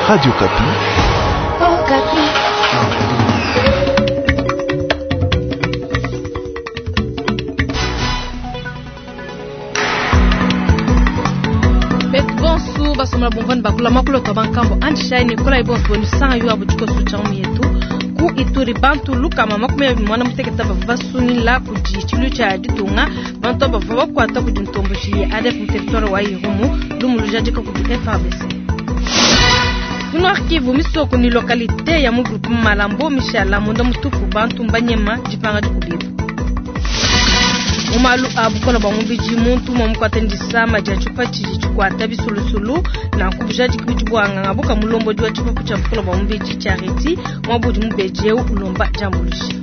Radio Okapi. Okapi. Betu bonsu basomela bumvani bakula makulu twa bankambo andishai nikola ibonsu bonu sanga yu abu tshikosu tshia mu yetu ku Ituri bantu lukama 24 bavua basungila kudi tshilu tshia ditunga bantu bavua bakuata kudi ntomboji ya ADF mu territoire wa Irumu lumu lujadika kudi FARDC. Mu Nord Kivu misoko ni localité ya mu groupe Malambo mishala munda mutupu bantu mbanyema dipanga dikubibu. Mu malu a bukola bwa mubidi muntu umwe mukwata ndisama dia tshipa tshidi tshikuata bisulusulu nanku bujadiki budi buanganga buka mulombodi wa tshipapu tshia bukola bwa mubidi Charity mwabudi mubedi eu ulomba diambuluisha.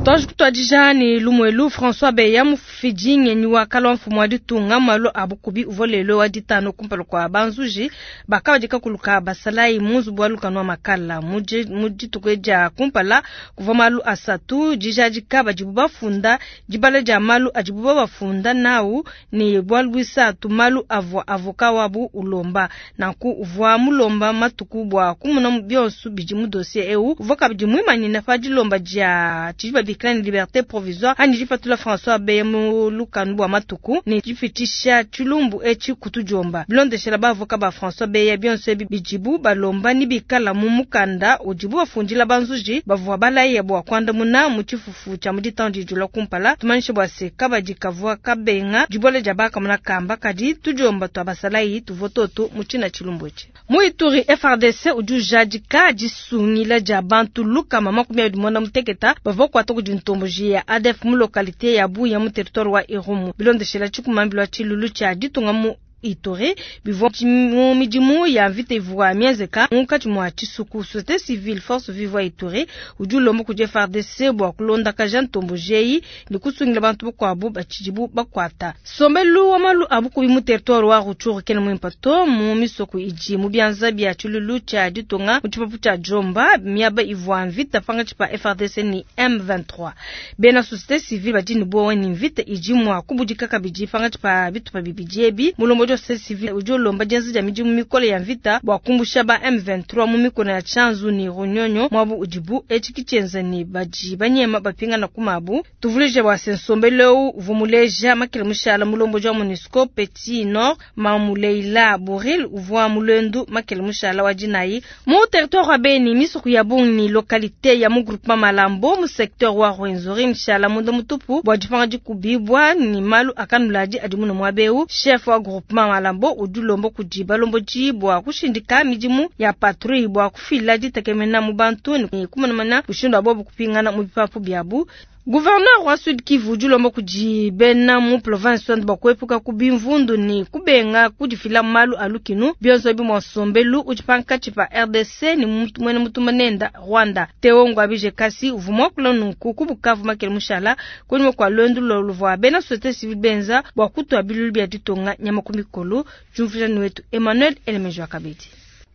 Twaji kutwadija ni lumwelu François Beya mufidi ngenyi wa kalwa mfumu wa ditunga malu a bukubi uvua lelo wa ditano kumpala kua banzuji bakabadika kuluka basalayi mu nzubu wa lukanu wa makala mu dituku dia kumpala kuvua malu asatu dijadika badibu bafunda dibala dia malu adibu babafunda nawu ni bualu buisatu malu avua avoka wabu ulomba nanku uvua mulomba matuku bua kumuna bionso bidi mu dossier eu uvua kabidi muimanyina pa dilomba dia tshidi babikila ni liberté provisoire anyi dipatula François Beya mu lukanu bua matuku ni dipitisha tshilumbu etshi kutudiomba bilondeshela bavoka ba François Beya bionso ebi bidibu balomba ni bikala mu mukanda udibu bafundila banzuji bavua balaya bua kuandamuna mu tshifufu tshia mu ditanu dijula kumpala tumanyishe bua se kabadi kavua kabenga dibola dia bakamuna kamba kadi tudiomba tua basalayi tuvua toto mu tshina tshilumbu etshi. Mu Ituri FARDC udi ujadika disungila dia bantu lukama 29 bavua kuata kudi ntomboji ya ADF mu localité ya Buya mu territoire wa Irumu bilondeshela tshikumambilwa tshilulu tshia ditunga mu Ituri bivua mu midimu ya mvita ivua mienzeka munkatshi mua tshisuku société civile force vive wa Ituri udi ulomba kudi FARDC bua kulondakaja ntomboji eyi ne kusungila bantu bakuabu batshidibu bakuata. Sombelu wa malu a bukubi mu territoire wa Rutshuru kena muimpe to mu misoko idi mu bianza bia tshilulu tshia ditunga mu tshipapu tshia Jomba miaba ivua mvita pankatshi pa FARDC ni M23. Bena société civile badi ne buowa ni mvita idi mua kubudika kabidi pankatshi pa bitupa bibidi ebi. Mulombodi wa société civile udi ulomba dienza dia midimu mikole ya mvita bua kumbusha ba M23 mu mikono ya Tshanzu ni Runyonyo mwabu udibu etshi kitshienza ni badi banyema bapingana kumabu. Tuvulije bua se nsombelu eu uvua muleja makele mushala mulombodi wa MONUSCO Petit Nord Mamuleila Bouril uvua mulwendu makele mushala wa dinayi mu territoire wa Beni misoko ya bungi ni localité ya mu groupement Malambo mu secteur wa Rwenzori mishala munda mutupu bua dipanga dikubibwa ni malu akanuladi adi muno mwabeu chef wa groupement Malambo udi ulomba kudi balombodi bua kushindika midimu ya patrouille bua kufila ditekemena mu bantu ni kumanamana mushindu wa bobu kupingana mu bipapu biabu. Gouverneur wa Sud Kivu udi ulomba kudi bena mu province wandi bua kuepuka ku bimvundu ni kubenga kudifila malu a lukinu bionso ebi mua nsombelu udi pankatshi pa RDC ni mwene mutumba nenda Rwanda. Theo Ngwabije Kasi uvua muakula nunku ku Bukavu makele mushala kunyima kua luendu luvua bena société civile benza bua kutua bilulu bia ditunga nyama ku mikolo. Jumvuija wetu Emmanuel Elemejo Kabedi.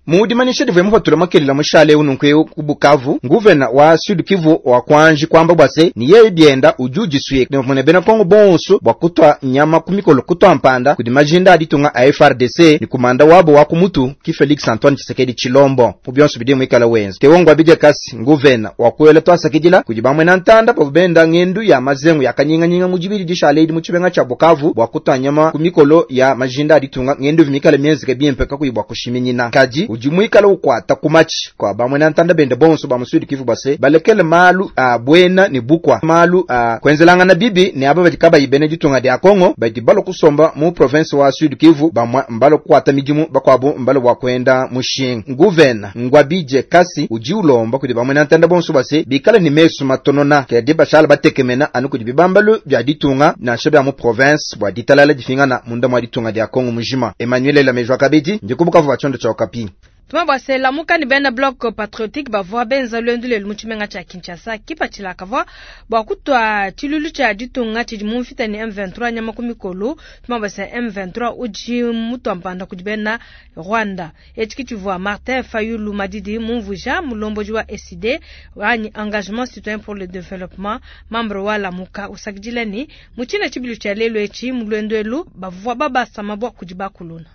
Mu dimanyisha divua mupatula makelela mushale eu nunku eu ku Bukavu, nguvena wa Sud Kivu wa kwanji kwamba bua se ni yeye bienda udi udisuye ne mune bena Kongo bonso bua kutua nyama ku mikolo kutua mpanda kudi majinda a ditunga a FARDC ni kumanda wabo wa kumutu ki Felix Antoine Tshisekedi Tshilombo mu bionso bidi muikala wenza. Theo Ngwabije Kasi nguvena wa kuela twasakidila kudi bamwe na ntanda bavua benda ngendu ya mazengu ya kanyinganyinga mu dibidi dishale idi mu tshibenga tshia Bukavu bua kutua nyama ku mikolo ya majinda a ditunga ngendu vimikala mienzeke bimpe kakuyi bua kushiminyina kadi udi muikala ukwata kumachi kwa bamwe na ntanda bende bonso ba mu Sud Kivu base balekele malu a bwena ni bukwa malu a kwenzelangana bibi ne aba badi kabayi bene ditunga dia Kongo badi balo kusomba mu province wa Sud Kivu bamwe mbalo kukwata midimu bakwabo mbalo bwa kwenda mushinga. Nguvena Ngwabije Kasi udi ulomba kudi bamwe na ntanda bonso base bikala ni mesu matonona kedi bashala batekemena anu kudi bibambalu bya ditunga nansha bya mu province bwa ditalala difingana munda mwa ditunga dia Kongo mujima. Emmanuel Lamejwa Kabedi ndi ku Bukavu wa tshiondo tshia Okapi. Tuma bua se Lamuka ne bena Bloc Patriotique bavua benza luendu lelu mu tshimenga tshia Kinshasa. Kipatshila kavua bua kutua tshiluilu tshia ditunga tshidi mu mvita ne M23 nyama ku mikolo. Tuma bua se M23 udi mutua mpanda kudi bena Rwanda. Etshi ke tshivua Martin Fayulu Madidi mumvuija, mulombodi wa ECIDE anyi Engagement Citoyen pour le Developpement, membre wa Lamuka, usakidila ne, mu tshina tshibilu tshia lelu etshi mu luendu elu bavua babasa mabua kudi bakuluna.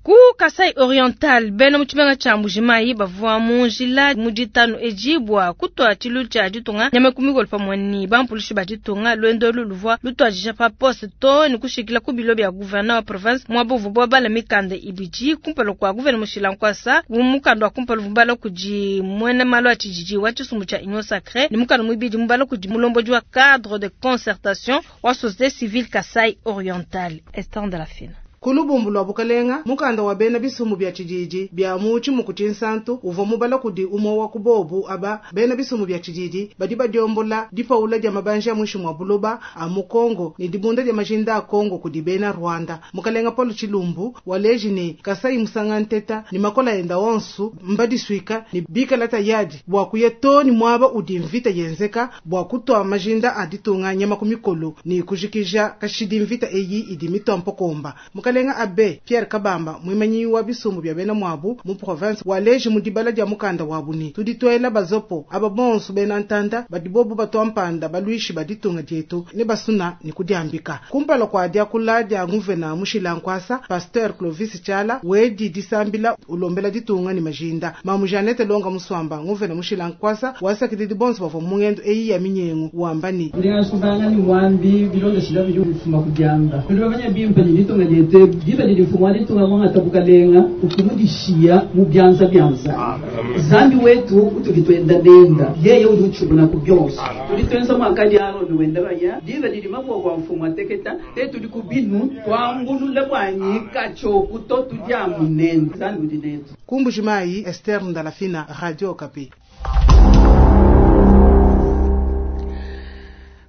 Ku Kasai Oriental, bena mu tshimenga tshia Mbuji-Mayi bavua mu njila mu ditanu edi bua kutua tshiluilu tshia ditunga nyama ku mikolo pamue ne bampulushi ba ditunga. Luendu elu luvua lutuadija pa poste too ne kushikila ku bilo bia gouverneur wa province, muaba uvuabu babala mikanda ibidi kumpala kua gouverneur mushila nkuasa. Mukanda wa kumpala uvua mubala kudi muena malu a tshididi wa tshisumbu tshia Union Sacree ne mukanda muibidi mubala kudi mulombodi wa cadre de concertation wa societe civile Kasai Oriental, Esther Ndalafina. Ku lubumbu lua bukalenga, mukanda wa bena bisumbu bia tshididi bia mu tshimuku tshinsantu uvua mubala kudi umue wa ku bobu aba. Bena bisumbu bia tshididi badi badiombola dipawula dia mabanji a muinshi mua buloba a mu Congo ne dibunda dia majinda a Congo kudi bena Rwanda. Mukalenga Paul Tshilumbu waleji ne, Kasayi musanga nteta ne makola enda onsu mbadisuika ne bikala tayadi bua kuya too ne muaba udi mvita yenzeka bua kutua majinda a ditunga nyama ku mikolo ne kujikija kashidi mvita eyi idi mitua mpokomba. Mukalenga Abbe Pierre Kabamba, muimanyi wa bisumbu bia bena muabu mu province, waleji mu dibala dia mukanda wabu ne, tudi tuela bazopo aba bonso bena ntanda badi bobu batua mpanda baluishi ba ditunga dietu ne basuna ne kudiambika. Kumpala kua diakula dia nguvena mushila nkuasa, Pasteur Clovis Tshiala wedi disambila ulombela ditunga ne majinda. Mamu Jeannette Longa Musuamba, nguvena mushila nkuasa, wasakididi bonso bavua mu ngendu eyi ya minyengu, wamba ne, Ndi ngasubanga ne muambi bilondeshila bidi ufuma ku diamba. Tudi bamanye bimpe ne ditunga dietu ebu, diba didi mfumu wa ditunga muangata bukalenga, utu mudishiya mu bianza bia Nzambi. Nzambi wetu utudi tuenda nenda, yeye udi utshimuna ku bionso. Tudi tuenza muakadi Arone wenda baya, diba didi maboko a mfumu ateketa, te tudi ku binu, tuambulula bua nyika tshioku to, tudi amu nende. Nzambi udi netu. Ku Mbuji-Mayi, Esther Ndalafina, Radio Okapi.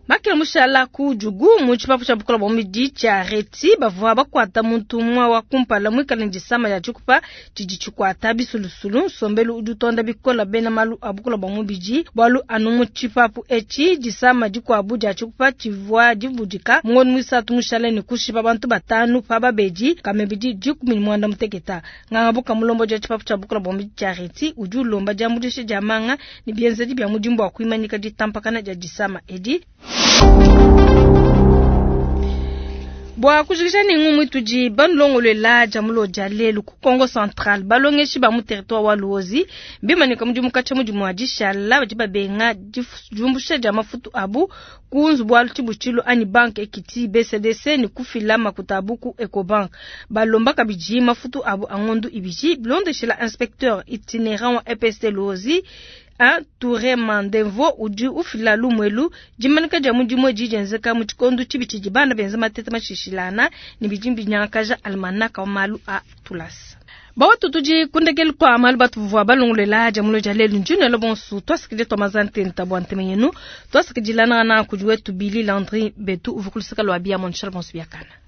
Makela mushala ku Djugu mu tshipapu tshia bukola bua mubidi tshia Reti bavua bakuata muntu umue wa kumpala muikale ne disama dia tshikupa tshidi tshikuata bisulusulu. Nsombelu udi utonda bikola bena malu a bukola bua mubidi bualu anu mu tshipapu etshi disama dikuabu dia tshikupa tshivua dibudika mu ngondo muisatu mushale ne kushipa bantu batanu pa babedi kamebidi 18. Nganga buka mulombodi wa tshipapu tshia bukola bua mubidi tshia Reti udi ulomba diambuluisha dia manga ne bienzedi bia mudimu bua kuimanyika ditampakana dia disama edi. Bua kujikija ne ngumu itudi banulongoluela dia mulo dia lelu ku Kongo Central, balongeshi ba mu territoire wa Luozi bimanyika mudimu katshia mudimu wa dishala badi babenga diumbusha dia mafutu abu ku nzubu wa tshibutshilu anyi banque Equity BCDC ne kufila makuta abu ku Ecobank. Balomba kabidi mafutu abu a ngondu ibidi bilondeshela inspecteur itinerant wa EPST Luozi Touré Mandemvo udi ufila lumuelu dimanika dia mudimu edi dienzeka mu tshikondo tshibi tshidi bana benza mateta mashishilana ne bidi binyangakaja almanaka wa malu a tulasa. Bawatu tudi kundekelu kwa malu batuvua balongolela dia mulo dia lelu njinelo bonsu twasikile twa mazantenta bua nteme yenu twasikidilana na kudi wetu Billy Landry betu uvukulusaka lwa bia monshal bonsu biakana.